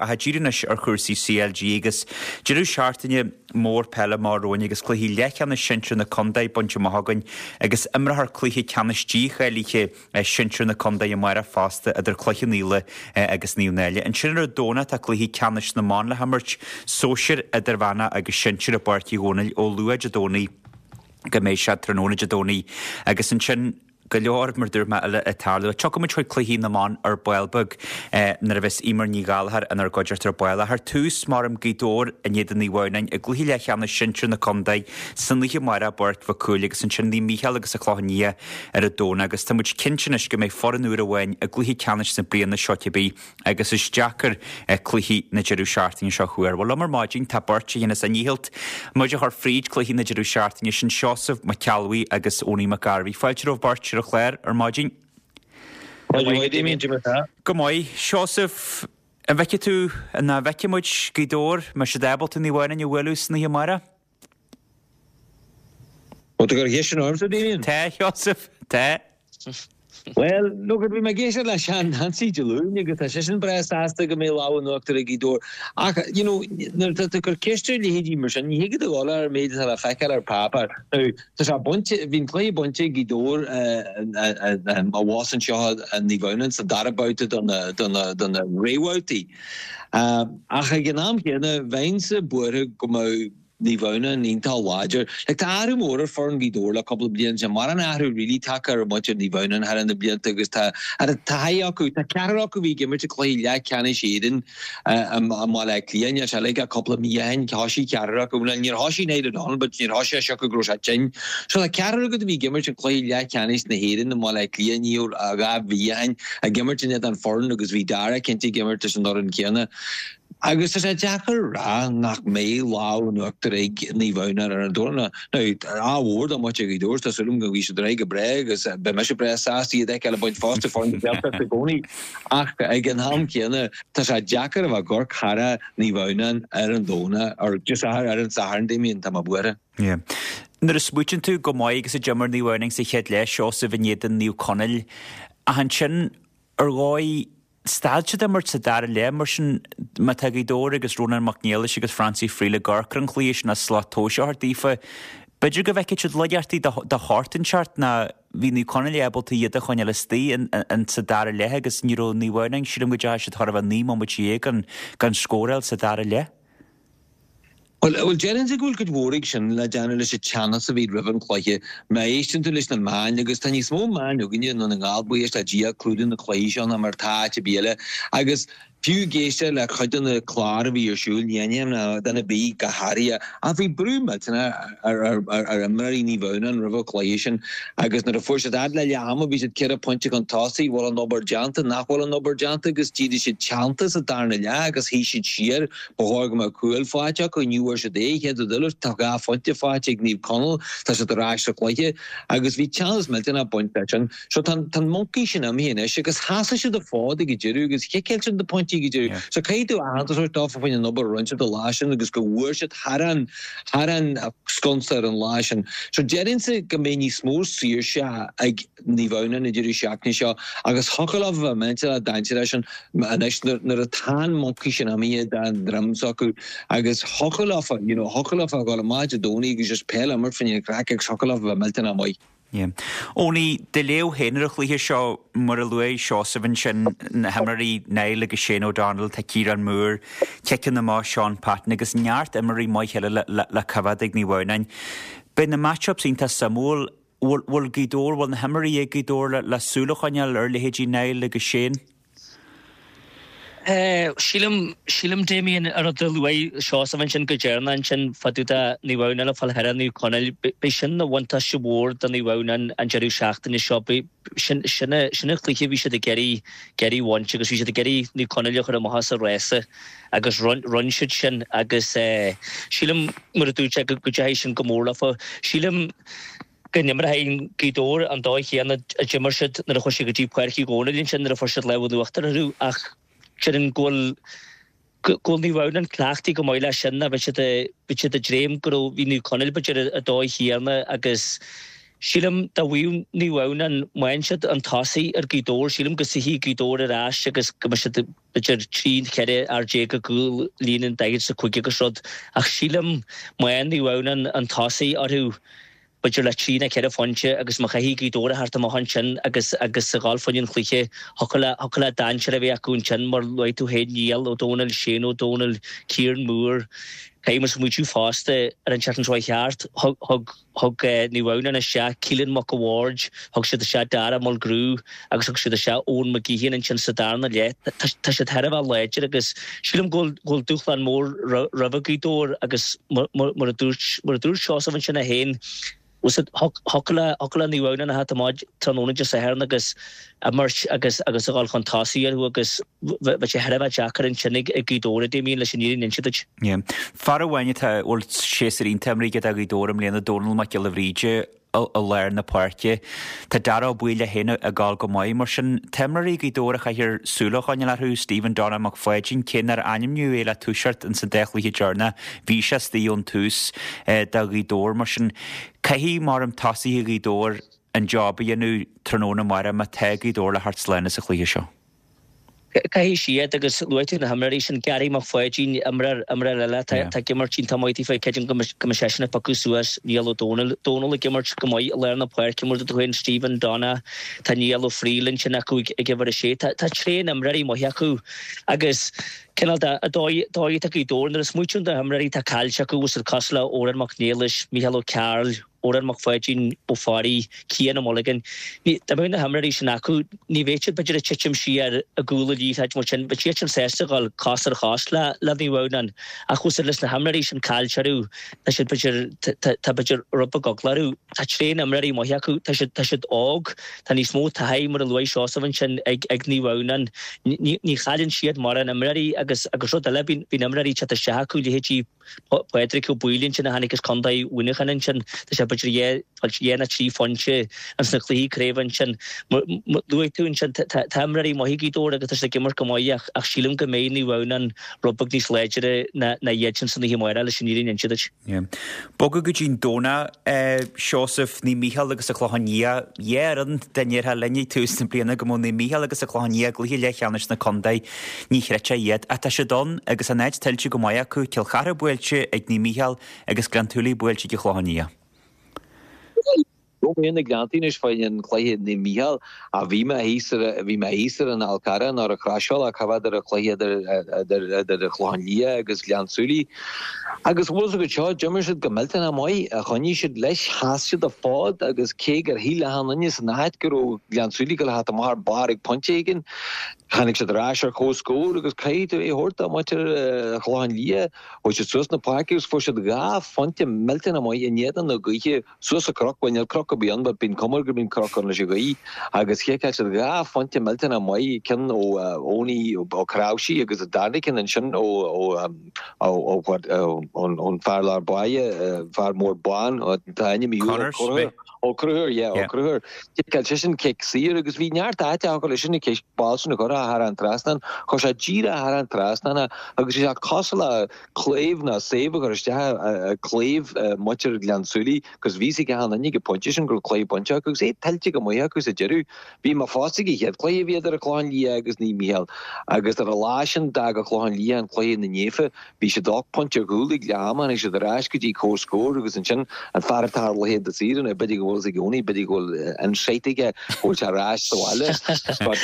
Ach díriú anois ar chúrsaí CLG agus deireadh seachtaine mór peile amach romhainn agus cluichí leathcheannais sinsir na contae bainte amach againn agus imreofar cluiche ceannais dícháilithe sinsir na contae amárach fosta idir Cloich Cheann Fhaola agus Naomh Náille. Ansin ar an Domhnach tá cluichí ceannais na mban le himirt, sóisir, idirmheánach agus sinsir i bPáirc Uí Dhónaill ó luath Dé Domhnaigh go mbeidh sé tráthnóna Dé Domhnaigh agus ansin go leor, mar dúirt mé, eile ag tarlú. Tiocfaidh muid chuig cluichí na mban ar ball beag nuair a bheas Eimear Ní Ghallchóir inár gcuideachta ar ball. Ach ar tús, maram Gaoth Dobhair in éadan Naomh Adhamhnáin i gcluiche leathcheannais sinsir na contae san oíche amárach i bPáirc Mhic Cumhaill agus ansin Naomh Mícheál agus an Clochán Liath ar an Domhnach agus tá muid cinnte anois go mbeidh foireann úr amháin i gcluiche ceannais na bliana seo cibé agus is deacair cluichí na deireadh seachtaine seo a thuar. Bhuel, liom ar maidin tá beirt a dhéanas a ndícheall muid a chur fríd cluichí na deireadh seachtaine, sin Seosamh Mac Ceallbhuí agus Owenie Mac Gairbhí. Fáilte romhaibh beirt ar an chlár ar maidin. Maidin mhaith, Damien, cad é mar atá? Go maith. Seosamh, an bhfeicfidh tú, an bhfeicfidh muid Gaoth Dobhair, mbeidh siad ábalta Naomh Adhamhnáin a bhualadh san oíche amárach? Bhfuil tú ag cur ceist sin ormsa, Damien? Tá, a Sheosaimh, tá. Bhuel, look, bhí mé ag éisteacht le Seán Nancy Dé Luain agus tá seisean breá sásta go mbeidh lámh in uachtar ag Gaoth Dobhair. Ach, you know, nuair atá tú ag cur ceist ar leithéidí mar sin, ní thig leat a dhul ar an méid atá le feiceáil ar páipéar. Now, tá sé bainte, bhí an cluiche bainte ag Gaoth Dobhair abhus anseo i Naomh Adhamhnáin sa dara babhta de na, de na, de na réamhbhabhtaí. Ach ag an am chéanna, bheinnse buartha go mbeadh Naomh Adhamhnáin iontach láidir. Like, tá athrú mór ar foireann Ghaoth Dobhair le cúpla bliain. Níl mórán athrú really tagtha ar mhuintir Naomh Adhamhnáin thar na blianta agus tá taithí acu. Tá ceathrar acu a bhí ag imirt i gcluiche leathcheannais Éireann i mBaile Átha Cliath. Níl sé like ach cúpla mí ó shin. Thoisigh ceathrar acu. Bhuel, níor thoisigh Niall O'Donnell but níor thoisigh sé siocair go raibh sé tinn. So tá ceathrar acu a bhí ag imirt i gcluiche leathcheannais na hÉireann i mBaile Átha Cliath ní 2 mhí ó shin ag imirt in éadan foireann agus bhí Dara cinnte ag imirt leis an fhoireann céanna. Agus tá sé deacair a rá nach mbeidh lámh in uachtar ag Naomh Adhamhnáin ar an Domhnach. Now, ádh mhór do mhuintir Ghaoth Dobhair, tá súil agam go ngabhfaidh siad ar aghaidh go breá agus beidh mise breá sásta iad a fheiceáil ag baint fosta foireann na Gaeltachta i gcónaí. Ach ag an am céanna, tá sé deacair a bheith ag amharc thar Naomh Adhamhnáin ar an Domhnach, or just ar an Satharn, Damien, tá mé buartha. Yeah. Nuair a smaoitíonn tú chomh maith agus a d'imir Naomh Adhamhnáin sa chéad leath, Seosamh in éadan Naomh Conaill, ach ansin ar dhóigh, Stad siad imirt sa dara leath, mar sin má tá Gaoth Dobhair agus Rónán Mac Niallais agus Francie Friel ag amharc ar an chluiche sin as slat tomhais a thabhairt daofa, b'fhéidir go bhfeicfidh siad laigeachtaí de shórt inteacht ná bhí Naomh Conaill ábalta iad a choinneáil istigh in sa dara leath agus ní raibh Naomh Adhamhnáin, sílim go dteachaigh siad chóir a bheith 19 mbomaite gan scóráil sa dara leath. Bhuel, bhuel, déarfainnse go bhfuil cuid mhór ag sin le déanamh leis an teannas a bhí roimh an chluiche. Má éisteann tú leis na meáin, agus tá níos mó meáin againne i nDún na nGall, buíochas le Dia, ag clúdú na cluichí seo ná mar atá áit ar bith eile. Agus fiú ag éisteacht le cuid de na cláir a bhí ar siúl, ní aithním ná duine ar bith go háirithe, ach bhí brú millteanach ar, ar, ar, ar imreoirí Naomh Adhamhnáin roimh an chluiche sin. Agus nuair a fuair siad fhad le leath ama, bhí siad ceithre phointe chun tosaigh, bhfuil an obair déanta, nach bhfuil an obair déanta, agus d'éirigh siad teannta sa darna leath agus shuigh siad siar. Ba chóir go mbeadh cúl faighte acu, ní bhfuair siad é, chéad rud eile, tá 2 phointe faighte ag Naomh Conaill, tá siad ar ais sa chluiche agus bhí teannas millteanach ag baint leis sin. So tá an moncaí sin imithe anois agus sheasaigh siad an fód ag an deireadh agus chiceáil siad na pointí ag an deireadh. So caithfidh tú aitheantas a thabhairt dófa faoin an obair a rinne siad an lá sin agus go bhfuair siad thar an thar an sconsa ar an lá sin. So déarfainnse go mbeidh níos mó saoirse ag Naomh Adhamhnáin an deireadh seachtaine seo agus thiocfadh leo a bheith millteanach dainséarach sin anois nuair atá an moncaí sin imithe den droim s'acu agus thiocfadh leofa, you know, thiocfadh leofa a dhul amach Dé Domhnaigh agus just peil a imirt fá choinne an chraic agus thiocfadh leofa a bheith millteanach maith. Yeah. Owenie, do léamh féin ar an chluiche seo, mar a luaigh Seosamh ansin, na himreoirí Niall agus Shane O'Donnell, tá Ciarán Moore, ciceanna amach Seán Patton agus neart imreoirí maith eile le, le, le coimhéad ag Naomh Adhamhnáin. Beidh na match-ups iontach suimiúil. Bhfuil Gaoth Dobhair, bhfuil na himreoirí ag Gaoth Dobhair le súil a choinneáil ar leithéidí Niall agus Shane? Sílim, sílim Damien, an rud a luaigh Seosamh ansin go deireanach ansin fá dtaobh de Naomh Adhamhnáin ag fáil thar Naomh Conaill, beidh sin ina bhuntáiste mhór do Naomh Adhamhnáin an deireadh seachtaine seo. Beidh, sin, sin, sin an cluiche a bhí siad ag iarraidh, ag iarraidh a bhaint agus bhí siad ag iarraidh Naomh Conaill a chur amach as an rása agus rinne siad sin agus sílim, mar a dúirt sé, go dteachaigh sin go mór leofa. Sílim go n-imreoidh Gaoth Dobhair an dóigh chéanna a d'imir siad nuair a chuaigh siad go dtí Páirc Uí Dhónaill ansin nuair a fuair siad lámh in uachtar orthu ach déarfainn go bhfuil go bhfuil Naomh Adhamhnáin cleachtaithe go maith leis sin bhí siad bhí siad ag dréim go raibh bhí Naomh Conaill b'fhéidir an dóigh chéanna agus. Sílim dá bhfaigheadh Naomh Adhamhnáin, má fhaigheann siad an tosaí ar Ghaoth Dobhair, sílim go suífidh Gaoth Dobhair ar ais agus go mbeidh siad b'fhéidir 13 14 fhear i gcúl líne an daichead is a cúig agus rud. Ach sílim má fhaigheann Naomh Adhamhnáin an tosaí orthu, b'fhéidir le trí nó ceithre phointe agus má chaithfidh Gaoth Dobhair a theacht amach ansin agus agus a dhul fá choinne an chluiche, thiocfadh le thiocfadh le dainséar a bheith acu ansin mar luaigh tú féin Niall Ó Dónaill, Shane Ó Dónaill, Ciarán Moore. Caithfidh muid smaoitiú fosta ar an tseachtain seo thart, thug thug Thug Naomh Adhamhnáin isteach Keelan Mac a' Bhaird, thug siad isteach Dara Mulgrew agus thug siad isteach Eoin McGeehan ansin sa darna leath. Tá siad thar a bheith láidir agus sílim go bhfuil dúshlán mór roimh Ghaoth Dobhair agus mar a dúirt mar a dúirt Seosamh ansin é féin, thiocfadh le Naomh Adhamhnáin a theacht amach tráthnóna Dé Sathairn agus imirt agus agus a dhul chun tosaigh orthu agus bheadh sé thar a bheith deacair ansin ag Gaoth Dobhair, a Damien, leis an fhírinne a inse duit. Yeah. Fear amháin atá, bhfuil séasúr iontach imeartha aige do Ghaoth Dobhair i mbliana, Dónal Mac Giolla Bhríde i lár na páirce. Tá Dara Ó Baoill é féin ag gabháil go maith. Mar sin, tá imreoirí Ghaoth Dobhair a chaithfear súil a choinneáil orthu, Stephen Donagh Mac Pháidín, cé nár ainmníodh é le toiseacht ins an dá chluiche deireanach, bhí sé istigh ón tús do Ghaoth Dobhair. Mar sin, caithfidh, mar a deirim, tosaithe Ghaoth Dobhair an job a dhéanamh tráthnóna amárach má tá Gaoth Dobhair le theacht slán as an chluiche seo. Caithfidh siad agus luaigh tú na himreoirí sin, Gary Mac Pháidín, imreoir, imreoir eile atá ag imirt iontach maith daofa, creidim go mbeidh seisean ag piocadh suas Niall Ó Dónaill, Dónal ag imirt go maith i lár na páirce mar a dúirt tú féin, Stephen Donagh, tá Niall Ó Frighil ansin acu ag uimhir a sé, tá tréan imreoirí maithe acu agus cineál de, an dóigh, dóigh atá Gaoth Dobhair nuair a smaoitíonn tú ar na himreoirí atá caillte acu, bhfuil siad cosúil le Odhrán Mac Niallais, Micheál Ó Cearúil, Odhrán Mac Pháidín Ó Fearraigh, Cian Ó Mulligan. Ní, dá mbeadh na himreoirí sin acu, ní bheadh siad b'fhéidir ag titim siar i gcúl an liathróid mar sin, bheadh siad sin sásta a dhul cos ar chos le le Naomh Adhamhnáin. Ach bhfuil siad leis na himreoirí sin caillte orthu, tá siad b'fhéidir, tá tá b'fhéidir rud beag eagla orthu. Tá tréan imreoirí maithe acu, tá siad tá siad óg, tá níos mó taithí mar a luaigh Seosamh ansin ag ag Naomh Adhamhnáin. Ní ní chailleann siad mórán imreoirí agus agus rud eile, bíonn bíonn imreoirí ag teacht isteach acu, leithéidí Pádraig Ó Baoill ansin a tháinig as Contae Mhuineacháin ansin. Tá sé b'fhéidir dhá nó trí phointe ins na cluichí craoibhe ansin. Luaigh tú ansin, tá imreoirí maithe ag Gaoth Dobhair agus tá siad ag imirt go maith ach sílim go mbeidh Naomh Adhamhnáin rud beag níos láidre ná iad sin san oíche amárach leis an fhírinne a inse duit. Bogadh go dtí an Domhnach, Seosamh, Naomh Mícheál agus an Clochán Liath. Dhá fhoireann dá ndéarfá linn ag tús na bliana go mbeadh Naomh Mícheál agus an Clochán Liath i gcluiche leathcheannais na contae, ní chreidfeá iad. Ach tá siad ann agus an áit tuillte go maith acu, Cill Chartha buailte ag Naomh Mícheál agus Gleann tSúilí buailte ag an Chlochán Liath. Raibh mé ina Gleanntaí anois fá choinne an chluiche Naomh Mícheál ach bhí mé thíos ar bhí mé thíos ar an Fhál Carrach nuair a chrosáil ach cá bhfeadar an chluiche idir idir idir an Chlochán Liath agus Gleann tSúilí. Agus bhfuil fhios agat seo, d'imir siad go millteanach maith, choinnigh siad leis, sheas siad an fód agus cé gur shíl achan duine san áit go raibh Gleann tSúilí ag dul a theacht amach ar barr ag pointe éigin, tháinig siad ar ais ar comhscór agus caithfidh tú é a thabhairt do mhuintir an Chlocháin Liath. Chuaigh siad suas na páirce agus fuair siad dhá phointe millteanach maith in éadan na gaoithe suas an cnoc, bhuel níl cnoc ar bith ann but bíonn cuma air go mbíonn cnoc ann leis an ghaoth, agus chiceáil siad dhá phointe millteanach maith, ceann ó Eoiní Ó Cnáimhsí agus an darna ceann ansin ó ó ó ón fear lár báire, fear mór bán, tá ainm Conor Smith. Ó Conchúir, yeah, Ó Conchúir. Chiceáil seisean cic saor agus bhí neart áite acu leis an cic ball sin a chur thar an trasnán. Chuir sé díreach thar an trasnán é agus bhí sé cosúil le claíomh nó saobh a chur isteach i gclaíomh muintir Ghleann tSúilí agus bhí fhios ag achan duine ag an bpointe sin go raibh cluiche bainte acu agus é tuillte go maith acu sa deireadh. Bhí mé fosta ag an chéad chluiche a bhí idir an Clochán Liath agus Naomh Mícheál agus ar an lá sin d'fhág an Clochán Liath an cluiche ina naofa. Bhí siad ocht bpointe ar chúl ag leath ama, tháinig siad ar ais go dtí comhscór agus ansin an fear atá ar leathchéad saor anois, b'fhéidir go bhfuil fhios ag Eoiní, b'fhéidir go bhfuil insight aige go bhfuil sé ar ais sa bhaile. But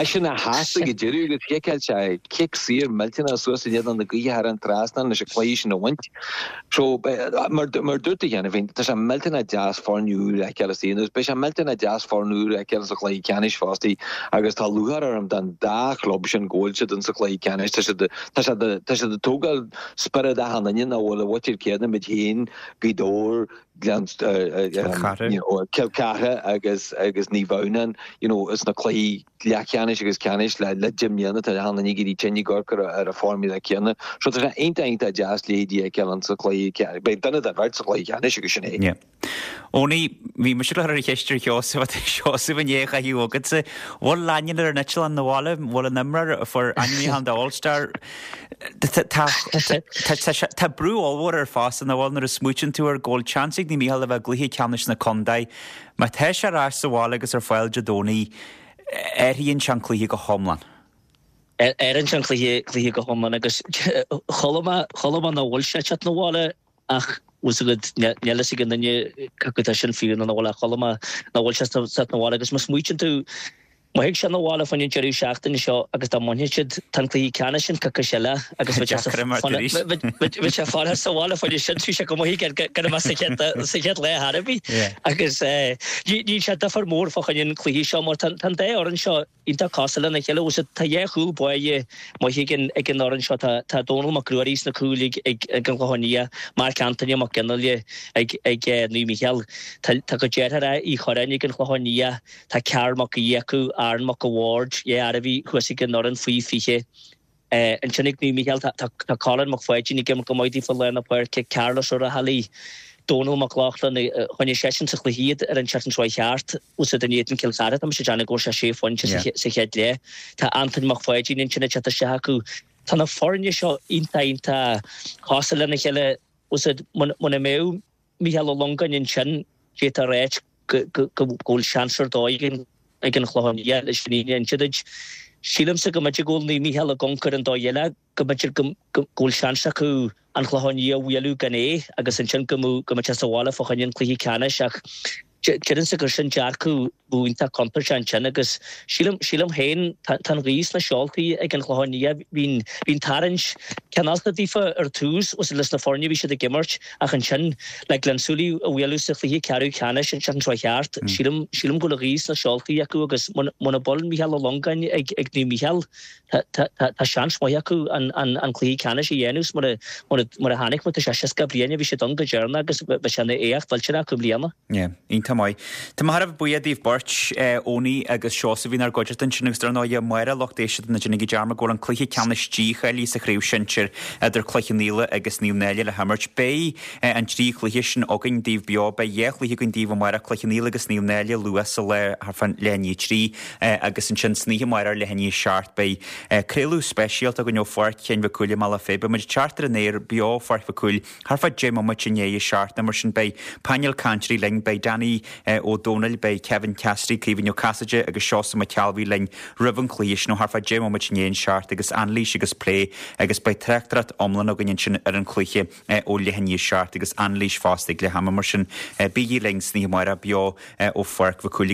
eisean a sheas ag an deireadh agus chiceáil sé cic saor millteanach suas in éadan na gaoithe thar an trasnán leis an cluiche sin a bhaint. So, mar mar dúirt tú cheana féin, tá sé millteanach deas foireann úr a fheiceáil istigh agus beidh sé millteanach deas foireann úr a fheiceáil sa chluiche ceannais fosta agus tá lúcháir orm don dá chlub sin go bhfuil siad insa chluiche ceannais. Tá siad tá siad tá siad ag tógáil spiorad achan duine nach bhfuil a mhuintir céanna muid féin, Gaoth Dobhair, Gleann Cill Chartha. Cill Chartha agus agus Naomh Adhamhnáin, you know, sna cluichí leathcheannais agus ceannais le le deich mbliana tá achan duine ag éirí tinn ag amharc ar ar an formula céanna. So tá sé iontach iontach deas leithéidí a fheiceáil insa chluiche, beidh duine den bheirt sa chluiche ceannais agus sin é. Yeah. Eoiní. Owenie, bhí mise ag cur an cheist ar Sheosamh, tá Seosamh i ndiaidh a chaitheamh agatsa. Bhfuil Lanyon ar an eitleán 'na bhaile? Bhfuil an imreoir a fuair ainmniúchán do All Star? Tá brú ollmhór air fosta, nach bhfuil, nuair a smaoitíonn tú air go bhfuil seans ag Naomh Mícheál a bheith i gcluiche ceannais na contae. Má tá sé ar ais sa bhaile agus ar fáil Dé Domhnaigh, athraíonn sé an cluiche go hiomlán. Athraíonn sé an cluiche go hiomlán agus chuala mé chuala mé nach bhfuil sé ag teacht 'na bhaile ach bhfuil 's agat níl fhios ag aon duine cé acu tá sin fíor nó nach bhfuil ach chuala mé nach bhfuil sé ag teacht 'na bhaile agus má smaoitíonn tú má thig sé 'na bhaile fá choinne an deireadh seachtaine seo agus dá mbainfidh siad tá an cluiche ceannais sin coicís eile agus bheadh sé bheadh sé fanacht sa bhaile fá choinne sin bhí sé go maith gan a bheith sa chéad sa chéad lá ar bith agus níl sé difear mór fá choinne an cluiche seo mar tá an dá fhoireann seo iontach cosúil lena chéile. Bhuel tá dhá chúl báire maith ag an ag an fhoireann seo. Tá tá Dónal Mac Ruairí sna cúil ag ag ag an Chlochán Liath, Marc Antaine Mac Fhionnghaile ag ag Naomh Mícheál. Tá tá a gcuid deartháireacha Uí Chorráin ag an Chlochán Liath, tá Karl Mac Aoidh acu, Aaron Mac a' Bhaird, dhá fhear a bhí thuas ag an fhoireann faoi 20. Ansin ag Naomh Mícheál tá Colin Mac Pháidín ag imirt go maith daofa i lár na páirce, Carlos Ó Raghallaigh, Dónal Mac Lochlainn, choinnigh seisean sa chluiche iad ar an tseachtain seo thart, úsáid in éadan Cill Chartha, tá mise ag déanamh go bhfuair sé sé phointe sa chéad leath. Tá Antoin Mac Pháidín ansin ag teacht isteach acu. Tá na foirne seo iontach iontach cosúil lena chéile. Úsáid muna mbeadh Mícheál Ó Longáin ansin, d'fhéadfá a ráit go bhfuil seans ar dóigh ag an Chlochán Liath leis an fhírinne a inse duit. Sílimse go mb'fhéidir go bhfuil Naomh Mícheál i gcioncar an dóigh eile, go mb'fhéidir go bhfuil seans acu an Clochán Liath a bhualadh gan é agus ansin go mbeadh sé sa bhaile fá choinne an cluiche ceannais ach deirimse gur sin dearcadh bheadh iontach contúirteach ansin agus sílim, sílim féin, tá an ghaoth sna seoltaí ag an Chlochán Liath. Bhí an tarraingt cineálta daofa ar tús leis na foirne a bhí siad ag imirt ach ansin le Gleann tSúilí a bhualadh sa chluiche ceathrú ceannais an tseachtain seo thart, sílim, sílim go bhfuil an ghaoth sna seoltaí acu agus muna bhfuil Mícheál Ó Longáin ag ag Naomh Mícheál, tá, tá, tá seans maith acu an, an, an cluiche ceannais a dhéanamh mar a, mar a, mar a chonaic muid, tá sé 60 bliain a bhí siad ann go deireanach agus bheadh sé ina éacht mhillteanach acu i mbliana. Yeah, iontach maith. Tá mé thar a bheith buíoch daoibh beirt, Owenie agus Seosamh, inár gcuideachta ansin agus dar ndóigh amárach, lucht éisteachta ná déanaigí dearmad go bhfuil an cluiche ceannais dícháilithe sa chraobh shinsir idir Cloich Cheann Fhaola agus Naomh Náille le himirt. Beidh an trí chluiche sin againn daoibh beo. Beidh dhá chluiche againn daoibh amárach, Cloich Cheann Fhaola agus Naomh Náille luath sa lá thart fán leath i ndiaidh a trí agus ansin san oíche amárach leath i ndiaidh a seacht beidh craoladh speisialta againn ó Pháirc Cheann Mhic Cumhaill i mBealach Féich. Beidh muid ag teacht ar an aer beo ó Pháirc Mhic Cumhaill Thart fá 10 mbomaite i ndiaidh a 7 nó mar sin beidh painéal cainteoirí linn, beidh Danny Ó Domhnaill, beidh Kevin Cassidy, Caoimhín Ó Casaide agus Seosamh Mac Ceallbhuí linn roimh an chluiche sin ó thart fá 10 mbomaite i ndiaidh an 7 agus anailís agus plé agus beidh tráchtaireacht iomlán againn ansin ar an chluiche ó leath i ndiaidh a 7 agus anailís fosta ag leath ama mar sin bígí linn san oíche amárach beo ó Pháirc Mhic Cumhaill.